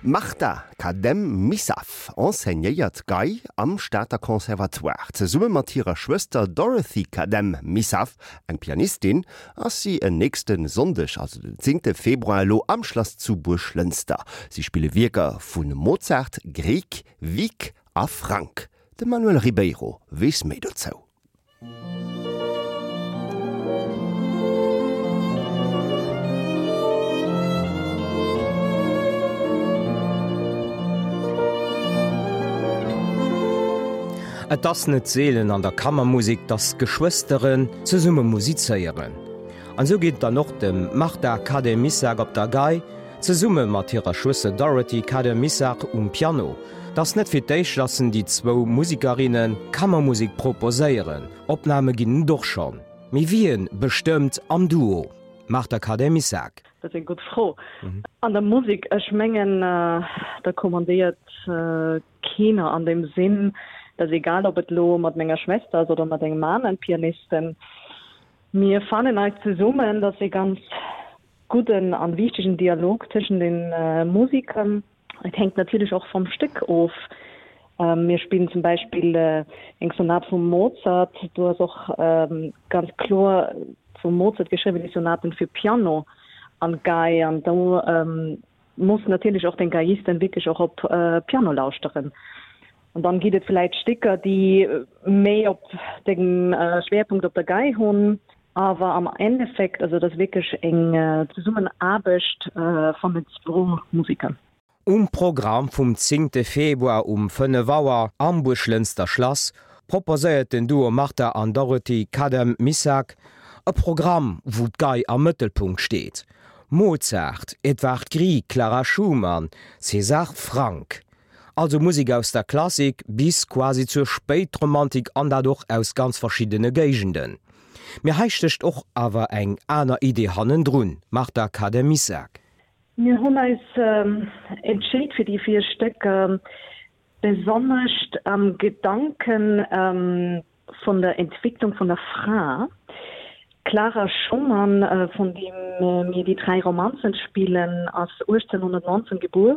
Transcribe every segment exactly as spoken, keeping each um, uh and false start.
D'Martha Khadem-Missaf enseignéiert Gei am Stater Conservatoire. Zesumme mat hirer Schwëster Dorothy Khadem-Missaf, eng Pianistin, ass si en nächste Sonndeg, also den zéngte Februar elo am Schlass zu Buerglënster. Si spille Wierker vu Mozart, Grieg, Wieck a Franck. De Manuel Ribeiro weess méi dozou. Et ass net seelen an der Kammermusek, dass Geschwësteren zesumme musizéieren. An esou geet et dann och dem Martha Khadem-Missagh op der Gei, zesumme mat hirer Schwëster Dorothy Khadem-Missagh um Piano. Et ass net fir d'éischt, dass en déi zwou Musikerinne Kammermusek proposéieren, Opname ginn et och schonn. Mee wien bestëmmt am Duo? Martha Khadem-Missagh. Dat ass eng gutt Fro. An der Musek, ech mengen, da kommandéiert keener an deem Sinn, dat ass egal, ob et elo mat menger Schwester ass oder mat engem aneren Pianisten. Mir fannen eis zesummen, dat ass e ganz gudden an wichtegen Dialog tëschent den Musikern. Et hänkt natierlech och vum Stéck of. Mir spillen zum Beispill eng Sonat vum Mozart, do ass och ganz kloer vum Mozart geschriwwen déi Sonaten fir Piano an Gei an do muss natierlech och den Geiist dann wierklech och op Piano lauschteren. An dann gitt et vläit Stécker, déi méi op dem Schwerpunkt op der Gei hunn, awer am Endeffekt, also et ass wierklech eng Zesummenaarbecht vun den zwou Museker. Um Programm vum zéngte Februar um fënnef Auer am Buerglënster Schlass proposéiert den Duo Martha an Dorothy Khadem-Missagh e Programm, wou d'Gei am Mëttelpunkt steet. Mozart, Edvard Grieg, Clara Schumann, César Franck. Also Musek aus der Klassik bis quasi zur Spéitromantik an dat och aus ganz verschiddene Géigenden. Mee hei stécht och awer eng aner Idee hannendrun, Martha Khadem-Missagh. Mir hunn eis entscheet fir déi véier Stécker, besonnesch am Gedanken vun der Entwicklung vun der Fra. D'Clara Schumann, vun deem mir déi dräi Romanzen spillen, ass uechtzénhunnertnonzéng gebuer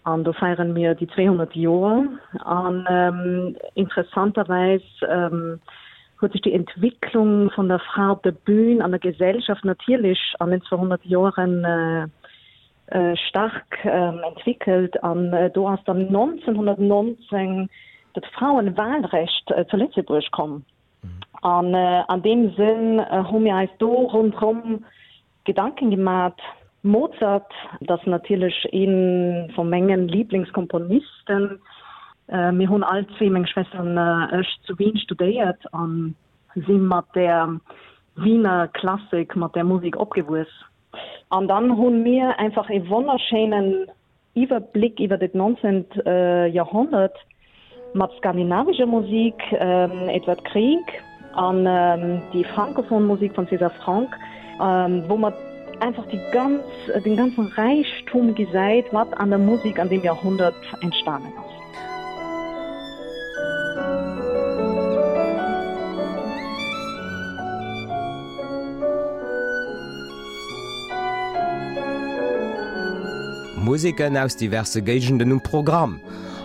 an do feieren mir déi zweehonnert Joer. An interessanterweis huet sech déi Entwicklung vun der Fra op der Bühn an der Gesellschaft natierlech an den zweehonnert Joeren stark entwickelt an do ass dann nonzénhunnertnonzéng dat Frauenwahlrecht zu Lëtzebuerg komm. An an deem Sënn hu mir eis do ronderëm Gedanken gemat. Mozart, dat ass natierlech ee vu mengen Lieblingskomponisten. Mir hunn all zwee, meng Schwester an ech, zu Wien studéiert a si mat där Wiener Klassik, mat där Musek opgewuess. An dann hu mir einfach e wonnerschéinen Iwwerbléck iwwer dat nonzént Joerhonnert mat skandinavischer Musik, Edvard Grieg, an déi francophone Musik vun César Franck, wou mer einfach déi ganz, den ganzen Räichtum gesäit, wat an der Musik an deem Joerhonnert entstanen ass. Museken aus diverse Géigenden um Programm.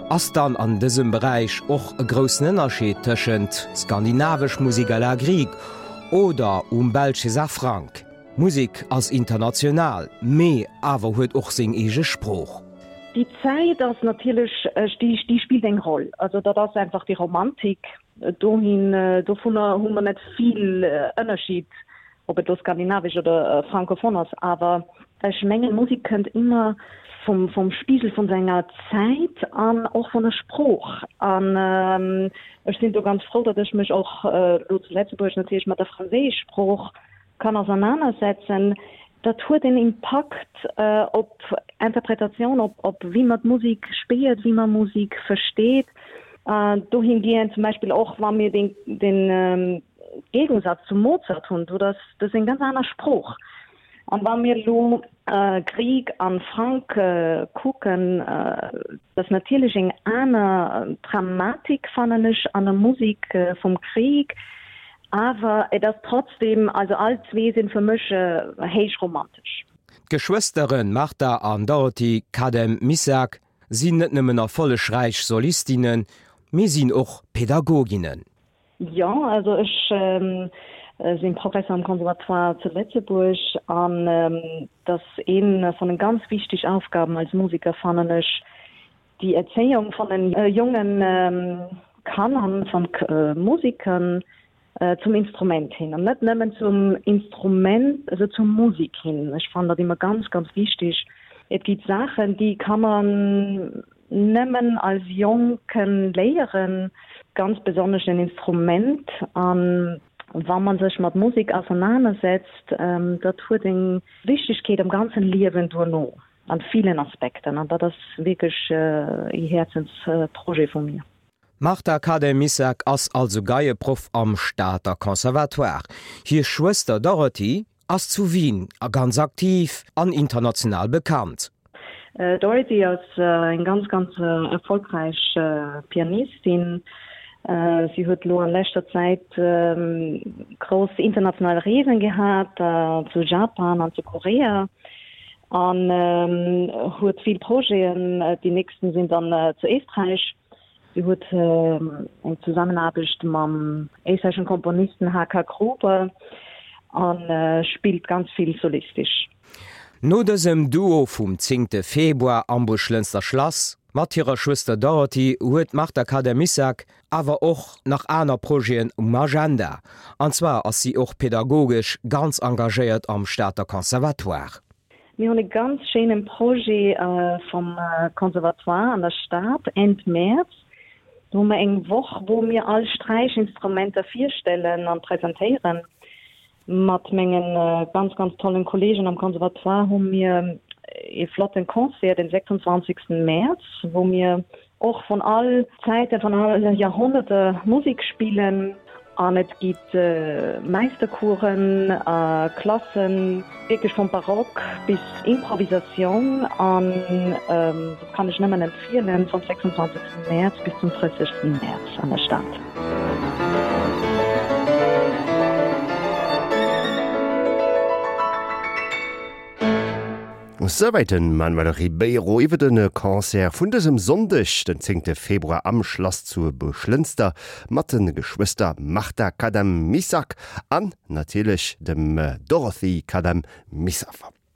Ass dann an dësem Beräich och e groussen Ënnerscheed tëschent skandinavesch Musek à la Grieg oder um belsch César Franck? Musek ass international, mee awer huet och seng eege Sprooch. Déi Zäit ass natierlech, déi spillt eng Roll. Also dat ass einfach déi Romantik dohin, dovunner hu mer net vill Ënnerscheed, ob et elo skandinavesch oder francophone ass. Awer ech mengen, Musek kënnt ëmmer vum, vum Spigel vun senger Zäit an och vun der Sprooch. An ech sinn do ganz frou, datt ech mech och elo zu Lëtzebuerg natierlech mat der franséisch Sprooch kann ausernanersetzen. Dat huet en Impakt op Interpretatioun, op, op wéi mer d'Musek spiert, wéi mer Musek versteet. Dohingehend zum Beispill och, wa mir den, den Gegensatz zum Mozart hunn, do dat ass eng ganz aner Sprooch. An wa mir elo Grieg an Franck kucken, dat ass natierlech eng aner Dramatik, fannen ech, an der Musek vum Grieg, awer et ass trotzdem, also all zwee sinn fir mech héich romantesch. D'Geschwësteren Martha an Dorothy Khadem-Missack sinn net nëmmen erfollegräich Solistinnen, mee sinn och Pädagoginnen. Jo, also ech sinn Professor am Conservatoire zu Lëtzebuerg an dat ass een vun den ganz wichteg Aufgaben als Musiker fannen ech, déi Erzéiung vun den jongen Kanner, von Musikern zum Instrument hin an net nëmmen zum Instrument, also zur Musik hin. Ech fannen dat ëmmer ganz, ganz wichteg. Et gibt Saachen, déi kann man nëmmen als Jonken léieren, ganz besonnesch en Instrument an wa man sech mat Musik auseinandersetzt, dat huet eng Wichtigkeet am ganzen Liewen duerno an vielen Aspekten an dat ass wierklech e Häerzensprojet vu mir. D'Martha Khadem-Missack ass also Geieproff am Stater Conservatoire. Hir Schwëster Dorothy ass zu Wien a ganz aktiv an international bekannt. Dorothy ass eng ganz ganz erfolgräich Pianistin. Si huet lo an leschter Zäit grouss international Reesen gehat, zu Japan an zu Korea an huet vill Projeten. Déi nächsten sinn dann zu Éisträich. Si huet eng Zusammenaarbecht mam éisträicheschen Komponisten H. K. Gruber a spillt ganz vill solistisch. No dësem Duo vum zéngte Februar am Buerglënster Schlass mat hirer Schwëster Dorothy huet d'Martha Khadem-Missack awer och nach aner Projeten um Agenda. An zwar ass si och pädagogesch ganz engagéiert am Stater Conservatoire. Mir hunn e ganz schéinen Projet vum Conservatoire an der Stad Enn Mäerz. Do hu mer eng Woch, wou mir all Sträichinstrumenter virstellen an presentéieren. Mat mengen ganz, ganz tollen Kollegen am Conservatoire hu mir e flotten Concert den sechsundzwanzigsten Mäerz, wou mir och vun all Zäiten, vun alle Jahrhunderte Musik spillen. An et gitt Meistercoursen, Klassen, wierklech vum Barock bis Improvisatioun. An dat kann ech nëmmen empfielen, vum sechsundzwanzigsten Mäerz bis zum drëssigsten Mäerz an der Stad. Souwäit de Manuel Ribeiro iwwer de Concert vun dësem Sonndeg, den zéngte Februar am Schlass zu Buerglënster mat de Geschwëster Martha Khadem-Missack an natierlech dem Dorothy Khadem-Missack.